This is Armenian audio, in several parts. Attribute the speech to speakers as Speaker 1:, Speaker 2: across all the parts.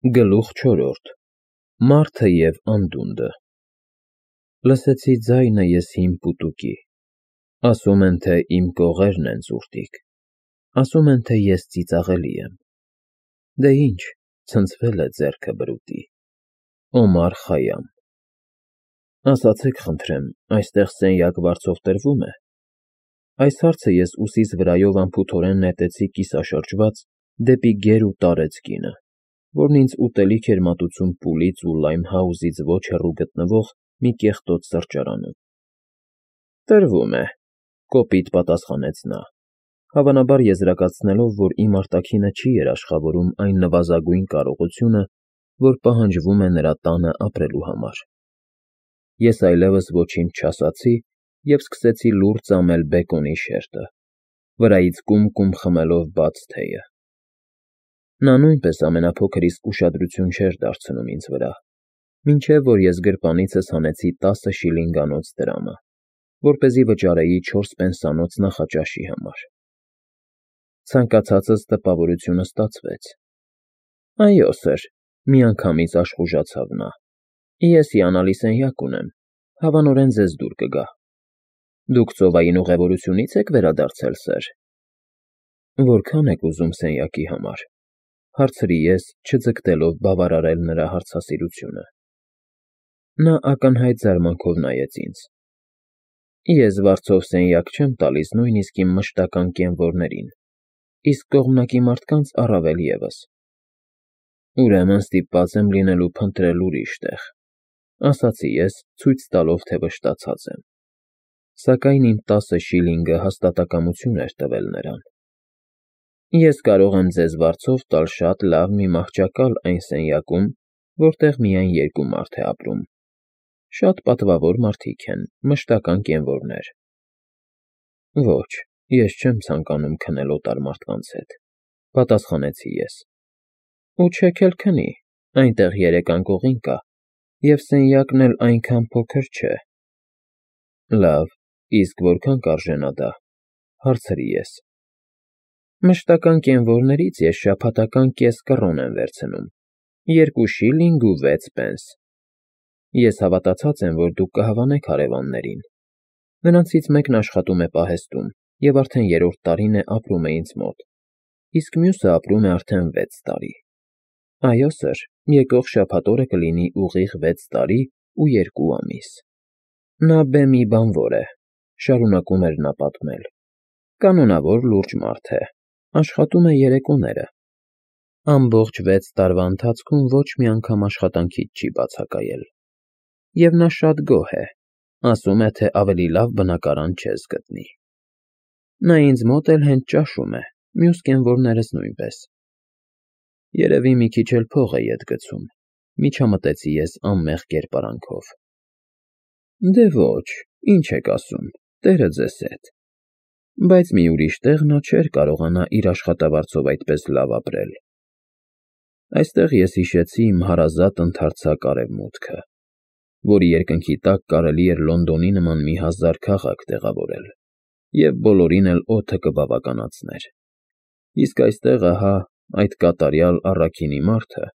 Speaker 1: Գլուխ չորրորդ Մարդը և անդունդը Լսեցի ձայնը ես հին պուտուկի, ասում են, թե իմ կողերն են զուրտիկ, ասում են, թե ես ծիծաղելի եմ, դե ինչ, ցնցվել է ձեռքը բրուտի, Օմար Խայամ Ասացեք խնդրեմ, այստեղ սենյակ վարձով տրվում է, այս հարցը ես ուսիս վրայով անփութորեն նետեցի կիսաշրջված դեպի գեր ու տարեց կինը, որն ինձ ուտելիք էր մատուցում Պուլից ու Լայմհաուզից ոչ հեռու գտնվող մի կեղտոտ սրճարանում։ Տրվում է, կոպիտ պատասխանեց նա, հավանաբար եզրակացնելով, որ իմ արտաքինը չի երաշխավորում այն նվազագույն կարողությունը, որ պահանջվում է նրա տանը ապրելու համար։ Ես այլևս ոչինչ չասացի և սկսեցի լուռ ծամել բեկոնի շերտը, վրայից կում խմելով բաց թեյը։ Նա նույնպես ամենափոքր իսկ ուշադրություն չէր դարձնում ինձ վրա, մինչև որ ես գրպանիցս հանեցի 10 շիլինգանոց դրամը, որպեսզի վճարեի 4 պենսանոց նախաճաշի համար։ Ցանկացածս տպավորությունը ստացվեց։ Այո, սըր, միանգամից աշխուժացավ նա։ Ես հիանալի սենյակ ունեմ, հավանորեն ձեզ դուր կգա։ Դուք ծովային ուղևորությունի՞ց եք վերադարձել, սըր։ Որքան եք ուզում սենյակի համար, հարցրի ես, չձգտելով բավարարել նրա հարցասիրությունը։ Նա ակնհայտ զարմանքով նայեց ինձ։ Ես վարձով սենյակ չեմ տալիս նույնիսկ իմ մշտական կենվորներին, իսկ կողմնակի մարդկանց առավել ևս։ Ուրեմն ստիպված եմ լինելու փնտրել ուրիշ տեղ, ասացի ես, ցույց տալով, թե վշտացած եմ։ Սակայն իմ 10 շիլինգը հաստատակամություն էր տվել նրան։ Ես կարող եմ ձեզ վարձով տալ շատ լավ մի մահճակալ այն սենյակում, որտեղ միայն 2 մարդ է ապրում։ Շատ պատվավոր մարդիկ են, մշտական կենվորներ։ Ոչ, ես չեմ ցանկանում քնել օտար մարդկանց հետ, պատասխանեցի ես։ Ու չեք էլ քնի, այնտեղ 3 անկողին կա, և սենյակն էլ այնքան փոքր չէ։ Լավ, իսկ որքան կարժենա դա, հարցրի ես։ Մշտական կենվորներից ես շաբաթական կես կռոն եմ վերցնում, 2 շիլինգ ու 6 պենս։ Ես հավատացած եմ, որ դուք կհավանեք հարևաններին։ Նրանցից մեկն աշխատում է պահեստում և արդեն 3-րդ տարին է ապրում է ինձ մոտ, իսկ մյուսը ապրում է արդեն 6 տարի։ Այո, սըր, եկող շաբաթ օրը կլինի ուղիղ 6 տարի ու 2 ամիս։ Նա բեմի բանվոր է, շարունակում էր նա պատմել։ Կանոնավոր լուրջ մարդ է, աշխատում է երեկոները։ Ամբողջ 6 տարվա ընթացքում ոչ մի անգամ աշխատանքից չի բացակայել։ Եվ նա շատ գոհ է, ասում է, թե ավելի լավ բնակարան չես գտնի։ Նա ինձ մոտ էլ հենց ճաշում է, մյուս կենվորներս նույնպես։ Երևի մի քիչ էլ փող է ետ գցում, միջամտեցի ես անմեղ կերպարանքով։ Դե ոչ, ինչ եք ասում, Տերը ձեզ հետ։ Բայց մի ուրիշ տեղ նա չէր կարողանա իր աշխատավարձով այդպես լավ ապրել։ Այստեղ ես հիշեցի իմ հարազատ ընդարձակ արևմուտքը, որի երկնքի տակ կարելի էր Լոնդոնի նման մի հազար քաղաք տեղավորել, և բոլորին էլ օդը կբավականացներ։ Իսկ այստեղ, ահա, այդ կատարյալ առաքինի մարդը,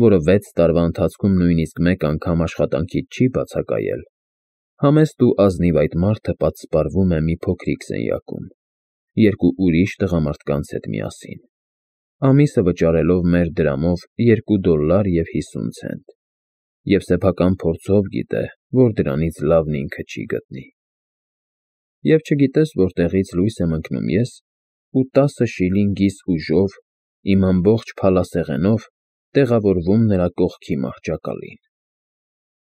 Speaker 1: որը 6 տարվա ընթացքում նույնիսկ մեկ անգամ աշխատանքից չի բացակայել, համեստ ու ազնիվ այդ մարդը պատսպարվում է մի փոքրիկ սենյակում, 2 ուրիշ տղամարդկանց հետ միասին, ամիսը վճարելով մեր դրամով $2.50, և սեփական փորձով գիտե, որ դրանից լավն ինքը չի գտնի։ Եվ չգիտես որտեղից լույս եմ ընկնում ես ու 10 շիլինգիս ուժով, իմ ամբողջ փալասեղենով տեղավորվում նրա կողքի մահճակալին։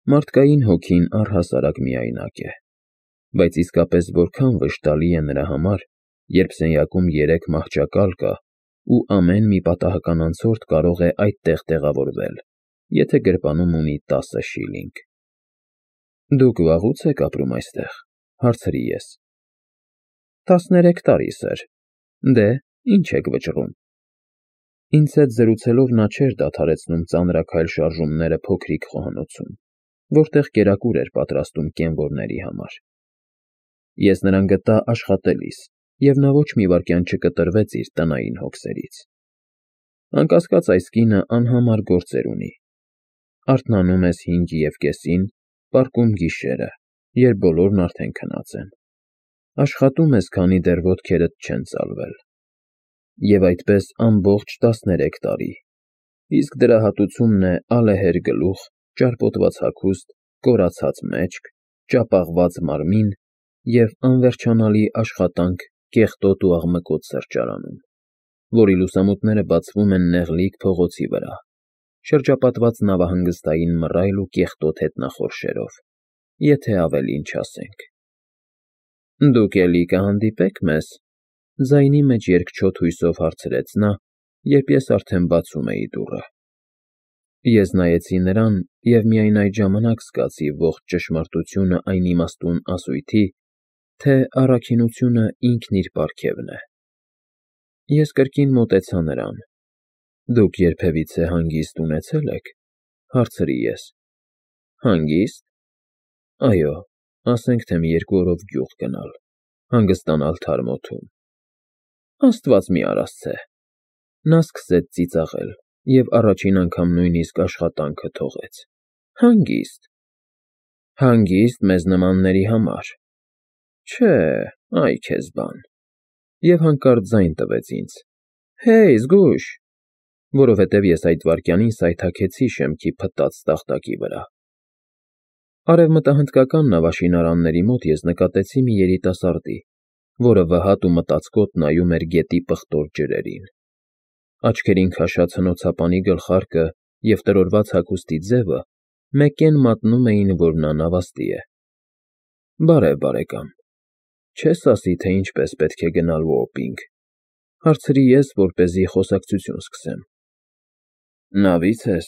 Speaker 1: Մարդկային հոգին առհասարակ միայնակ է, բայց իսկապես որքան վշտալի է նրա համար, երբ սենյակում 3 մահճակալ կա ու ամեն մի պատահական անցորդ կարող է այդտեղ տեղավորվել, եթե գրպանում ունի 10 շիլինգ։ Դուք վաղուց եք ապրում այստեղ, հարցրի ես։ 13 տարի, սըր։ Դե, ինչ եք վճռում։ Ինձ հետ զրուցելով նա չէր դադարեցնում ծանրաքայլ շարժումները փոքրիկ խոհանոցում, որտեղ կերակուր էր պատրաստում կենվորների համար։ Ես նրան գտա աշխատելիս, և նա ոչ մի վայրկյան չկտրվեց իր տնային հոգսերից։ Անկասկած այս կինը անհամար գործեր ունի։ Արթնանում ես 5:30, պառկում գիշերը, երբ բոլորն արդեն քնած են։ Աշխատում ես, քանի դեռ ոտքերդ չեն ծալվել։ Եվ այդպես ամբողջ 13 տարի։ Իսկ դրա հատուցումն է ալեհեր գլուխ, ճարպոտված հագուստ, կորացած մեջք, ճապաղված մարմին և անվերջանալի աշխատանք կեղտոտ ու աղմկոտ սրճարանում, որի լուսամուտները բացվում են նեղլիկ փողոցի վրա, շրջապատված նավահանգստային մռայլ ու կեղտոտ հետնախորշերով, եթե ավելին չասենք։ Դուք էլի կհանդիպեք մեզ, ձայնի մեջ երկչոտ հույսով հարցրեց նա, երբ ես արդեն բացում էի դուռը։ Ես նայեցի նրան և միայն այդ ժամանակ զգացի ողջ ճշմարտությունը այն իմաստուն ասույթի, թե առաքինությունը ինքն իր պարգևն է։ Ես կրկին մոտեցա նրան։ Դուք երբևիցե հանգիստ ունեցե՞լ եք, հարցրի ես։ Հանգիստ։ Այո, ասենք թե մի 2 օրով գյուղ գնալ, հանգստանալ թարմ օդում։ Աստված մի արասցե։ Նա սկսեց ծիծաղել և առաջին անգամ նույնիսկ աշխատանքը թողեց։ Հանգիստ։ Հանգիստ մեզ նմանների համար։ Չէ, այ քեզ բան։ Եվ հանկարծ ձայն տվեց ինձ. Հեյ, զգույշ, որովհետև ես այդ վայրկյանին սայթաքեցի շեմքի փտած տախտակի վրա։ Արևմտահնդկական նավաշինարանների մոտ ես նկատեցի մի երիտասարդի, որը վհատ ու մտածկոտ նայում էր գետի պղտոր ջրերին։ Աչքերին քաշած հնոցապանի գլխարկը և տրորված հագուստի ձևը մեկեն մատնում էին, որ նա նավաստի է։ Բարև, բարեկամ, չես ասի, թե ինչպես պետք է գնալ Ուոպինգ, հարցրի ես, որպեսզի խոսակցություն սկսեմ։ Նավից ես,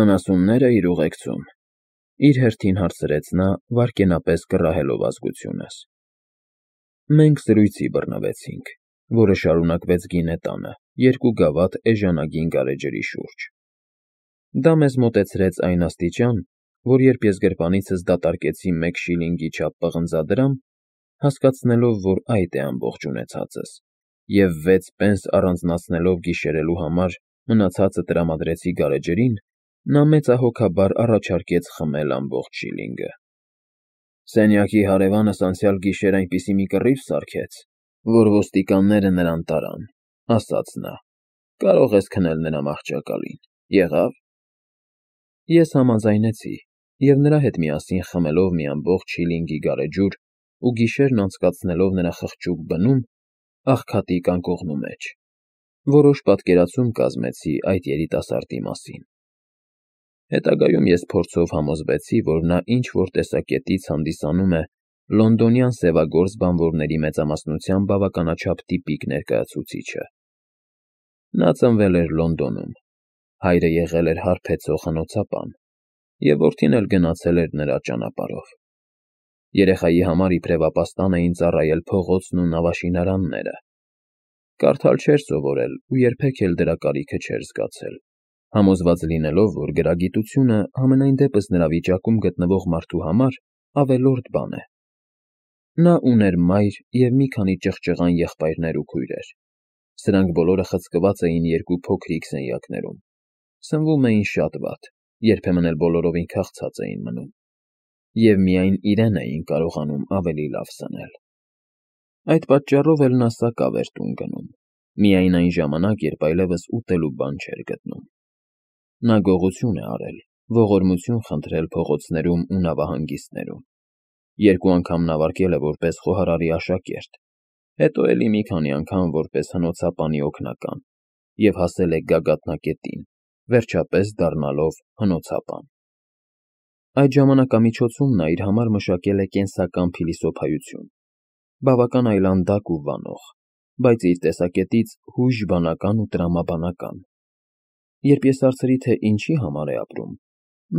Speaker 1: անասունները իր ուղեկցում, իր հերթին հարցրեց նա, վայրկենապես կռահելով ազգությունս։ Մենք զրույցի բռնվեցինք, որը շարունակվեց գինետանը, 2 գավաթ էժանագին գարեջրի շուրջ։ Դա մեզ մոտեցրեց այն աստիճան, որ երբ ես գրպանիցս դատարկեցի 1 շիլինգի չափ պղնձադրամ, հասկացնելով, որ այդ է ամբողջ ունեցածս, և 6 պենս առանձնացնելով գիշերելու համար մնացածը տրամադրեցի գարեջրին, նա մեծահոգաբար առաջարկեց խմել ամբողջ շիլինգը։ Սենյակի հարևանս անցյալ գիշեր այնպիսի մի կռիվ սարքեց, որ ոստիկանները նրան տարան, ասաց նա. կարող ես քնել նրա մահճակալին, եղավ։ Ես համաձայնեցի, և նրա հետ միասին խմելով մի ամբողջ շիլինգի գարեջուր ու գիշերն անցկացնելով նրա խղճուկ բնում, աղքատի կանգողնու մեջ, որոշ պատկերացում կազմեցի այդ երիտասարդի մասին։ Հետագայում ես փորձով համոզվեցի, որ նա ինչ-որ տեսակետից հանդիսանում է լոնդոնյան սևագործ բանվորների մեծամասնության բավականաչափ տիպիկ ներկայացուցիչը։ Նա ծնվել էր Լոնդոնում, հայրը եղել էր հարբեցող հնոցապան, և որդին էլ գնացել էր նրա ճանապարհով։ Երեխայի համար իբրև ապաստան էին ծառայել փողոցն ու նավաշինարանները։ Կարդալ չէր սովորել ու երբեք էլ դրա կարիքը չէր զգացել, համոզված լինելով, որ գրագիտությունը համենայն դեպս նրա վիճակում գտնվող մարդու համար ավելորդ բան է։ Նա ուներ մայր և մի քանի ճղճղան եղբայրներ ու քույրեր։ Սրանք բոլորը խցկված էին 2 փոքրիկ սենյակներում։ Սնվում էին շատ վատ, երբեմն էլ բոլորովին քաղցած էին մնում։ Եվ միայն իրեն էին կարողանում ավելի լավ սնել։ Այդ պատճառով էլ նա սակավ էր տուն գնում, միայն այն ժամանակ, երբ այլևս ուտելու բան չէր գտնում։ Նա գողություն է արել, ողորմություն խնդրել փողոցներում ու նավահանգիստներում։ 2 անգամ նավարկել է որպես խոհարարի աշակերտ, հետո էլի մի քանի անգամ որպես հնոցապանի օգնական և հասել է գագաթնակետին, վերջապես դառնալով հնոցապան։ Այդ ժամանակամիջոցում նա իր համար մշակել է կենսական փիլիսոփայություն, բավական այլանդակ ու վանող, բայց իր տեսակետից հույժբանական ու տրամաբանական։ Երբ ես հարցրի, թե ինչի համար է ապրում,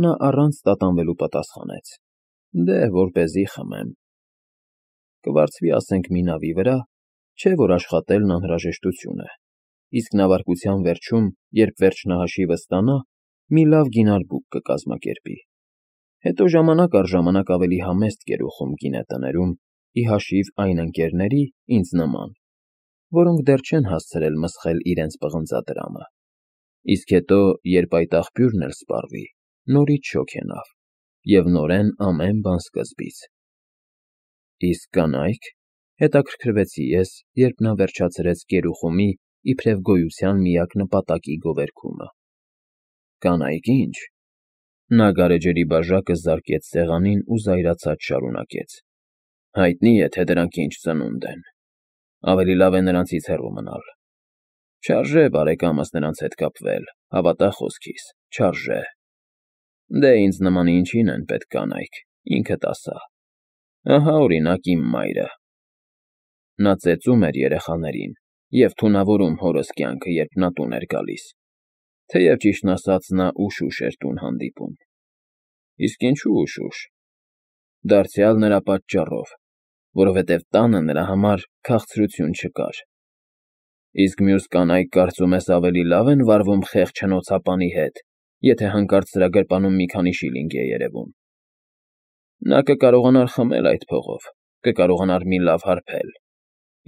Speaker 1: նա առանց տատանվելու պատասխանեց. Դե, որպեսզի խմեմ։ Կվարձվի, ասենք, մի նավի վրա, չէ՞ որ աշխատելն անհրաժեշտություն է, իսկ նավարկության վերջում, երբ վերջնահաշիվը ստանա, մի լավ գինար բուկ կկազմակերպի։ Հետո ժամանակ առ ժամանակ ավելի համեստ կերուխում գինետներում, ի հաշիվ այն ընկերների, ինձ նման, որոնք դեռ չեն հասցրել մսխել իրենց պղնձադրամը։ Իսկ հետո, երբ այդ աղբյուրն էլ սպառվի, նորից շոգենավ, և նորեն ամեն բան սկզբից։ Իսկ կանայք, հետաքրքրվեցի ես, երբ նա վերջացրեց Կերուխումի իբրև գոյության միակ նպատակի գովերգումը։ Կանայք ինչ։ Նա գարեջրի բաժակը զարկեց սեղանին ու զայրացած շարունակեց. Հայտնի է, թե դրանք ինչ ծնունդ են։ Ավելի լավ է նրանցից հեռու մնալ։ Չարժե բարեկամս նրանց հետ կապվել, հավատա խոսքիս, չարժե։ Դե ինձ նման ինչին են պետք կանայք, ինքդ ասա։ Ահա օրինակ իմ մայրը։ Նա ծեծում էր երեխաներին և թունավորում հորս կյանքը, երբ նա տուն էր գալիս, թեև ճիշտն ասած նա ուշ-ուշ էր տուն հանդիպում։ Իսկ ինչու ուշ-ուշ։ Դարձյալ նրա պատճառով, որովհետև տանը նրա համար քաղցրություն չկար։ Իսկ մյուս կանայք կարծում ես ավելի լավ են վարվում խեղճ հնոցապանի հետ, եթե հանկարծ դրա գրպանում մի քանի շիլինգ է երևում։ Նա կկարողանար խմել այդ փողով, կկարողանար մի լավ հարբել,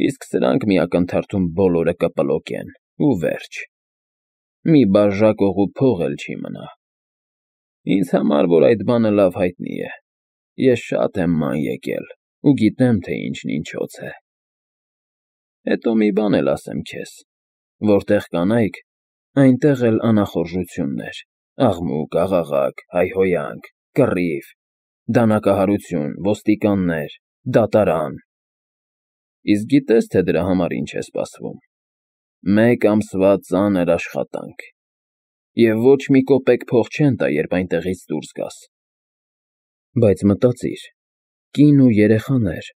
Speaker 1: իսկ սրանք մի ակնթարթում բոլորը կպլոկեն, ու վերջ։ Մի բաժակ օղու փող էլ չի մնա։ Ինձ համար, որ այդ բանը լավ հայտնի է, ես շատ եմ ման եկել ու գիտեմ, թե ինչն ինչոց է։ Հետո մի բան էլ ասեմ քեզ, որտեղ կանայք, այնտեղ էլ անախորժություններ, աղմուկ, աղաղակ, հայհոյանք, կռիվ, դանակահարություն, ոստիկաններ, դատարան։ Իսկ գիտես, թե դրա համար ինչ է սպասվում։ 1 ամսվա ծանր աշխատանք։ Եվ ոչ մի կոպեկ փող չեն տա, երբ այնտեղից դուրս գաս։ Բայց մտածիր, կին ու երեխաներ,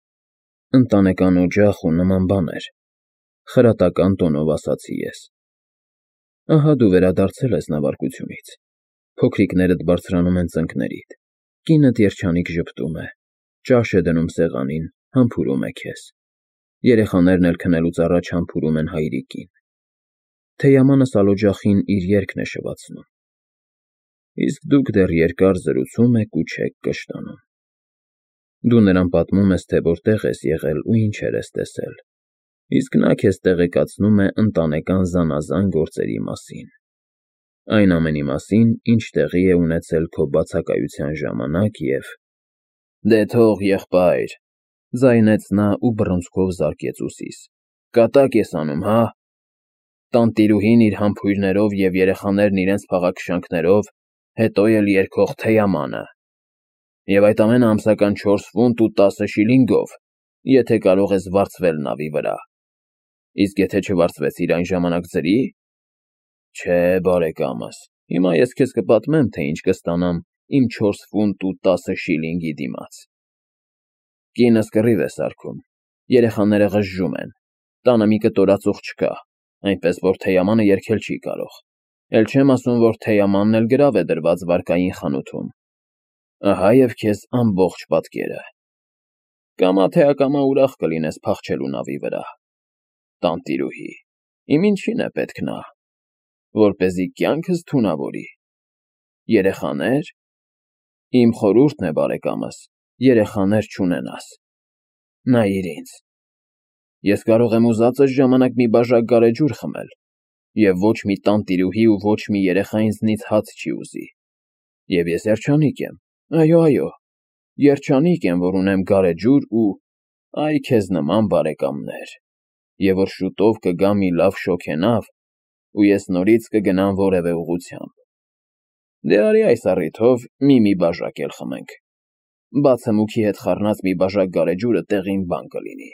Speaker 1: ընտանեկան օջախ ու նման բաներ, խրատական տոնով ասացի ես։ Ահա դու վերադարձել ես նավարկությունից, փոքրիկներդ բարձրանում են ծնկներիդ, կինդ երջանիկ ժպտում է, ճաշ է դնում սեղանին, համբուրում է քեզ, երեխաներն էլ քնելուց առաջ համբուրում են հայրիկին, թեյամանը սալօջախին իր երգն է շվացնում, իսկ դուք դեռ երկար զրուցում եք ու չեք կշտանում։ Դու նրան պատմում ես, թե որտեղ ես եղել ու ինչեր ես տեսել, իսկ նա քեզ տեղեկացնում է ընտանեկան զանազան գործերի մասին, այն ամենի մասին, ինչ տեղի է ունեցել քո բացակայության ժամանակ և… Դե թող, եղբայր, ձայնեց նա ու բռունցքով զարկեց ուսիս, կատակ ես անում, հա։ Տանտիրուհին իր համբույրներով և երեխաներն իրենց փաղաքշանքներով, հետո էլ երգող թեյամանը։ Եվ այդ ամենը ամսական 4 ֆունտ ու 10 շիլինգով, եթե կարող ես վարձվել նավի վրա։ Իսկ եթե չվարձվեցիր այն ժամանակ ձրի՞։ Չէ, բարեկամս, հիմա ես քեզ կպատմեմ, թե ինչ կստանամ իմ 4 ֆունտ ու 10 շիլինգի դիմաց։ Կինս կռիվ է սարքում, երեխաները ղժժում են, տանը մի կտոր ածուխ չկա, այնպես որ թեյամանը երգել չի կարող, էլ չեմ ասում, որ թեյամանն էլ գրավ է դրված վարկային խանութում։ Ահա և քեզ ամբողջ պատկերը։ Կամա թե ակամա ուրախ կլինես փախչելու նավի վրա։ Տանտիրուհի, իմ ինչին է պետք նա, որպեսզի կյանքս թունավորի։ Երեխաներ։ Իմ խորհուրդն է, բարեկամս, երեխաներ չունենաս։ Նայիր ինձ։ Ես կարող եմ ուզածս ժամանակ մի բաժակ գարեջուր խմել, և ոչ մի տանտիրուհի ու ոչ մի երեխա ինձնից հաց չի ուզի։ Եվ ես երջանիկ եմ, այո, երջանիկ եմ, որ ունեմ գարեջուր ու… այ քեզ նման բարեկամներ, և որ շուտով կգա մի լավ շոգենավ, ու ես նորից կգնամ որևէ ուղղությամբ։ Դե արի այս առիթով մի բաժակ էլ խմենք։ Բաց հմուքի հետ խառնած մի բաժակ գարեջուրը տեղին բան կլինի։